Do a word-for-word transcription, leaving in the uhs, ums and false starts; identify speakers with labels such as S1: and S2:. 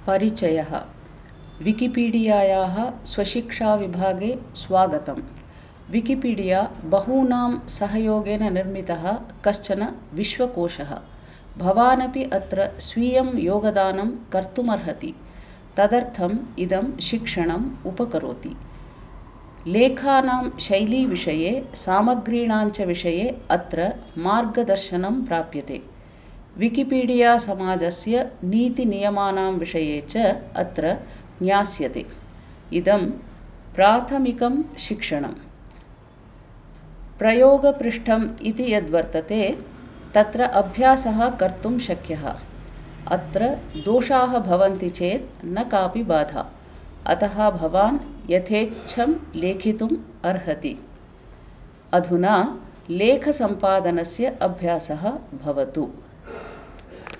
S1: परिचयः। विकिपीडियायाः स्वशिक्षाविभागे स्वागतं। विकिपीडिया बहूनां सहयोगेन निर्मितः कश्चन विश्वकोशः। भवानपि अत्र स्वीयं योगदानं कर्तुमर्हति। तदर्थम् इदं शिक्षणम् उपकरोति। लेखानां शैलीविषये, सामग्रीणां च विषये अत्र मार्गदर्शनं प्राप्यते। विकिपीडिया समाजस्य नीतिनियमानां विषये च अत्र ज्ञास्यते। इदं प्राथमिकं शिक्षणं। प्रयोगपृष्ठम् इति यद्वर्तते तत्र अभ्यासः कर्तुं शक्यः। अत्र दोषाः भवन्ति चेत् न कापि बाधा, अतः भवान् यथेच्छं लेखितुम् अर्हति। अधुना लेखसम्पादनस्य अभ्यासः भवतु।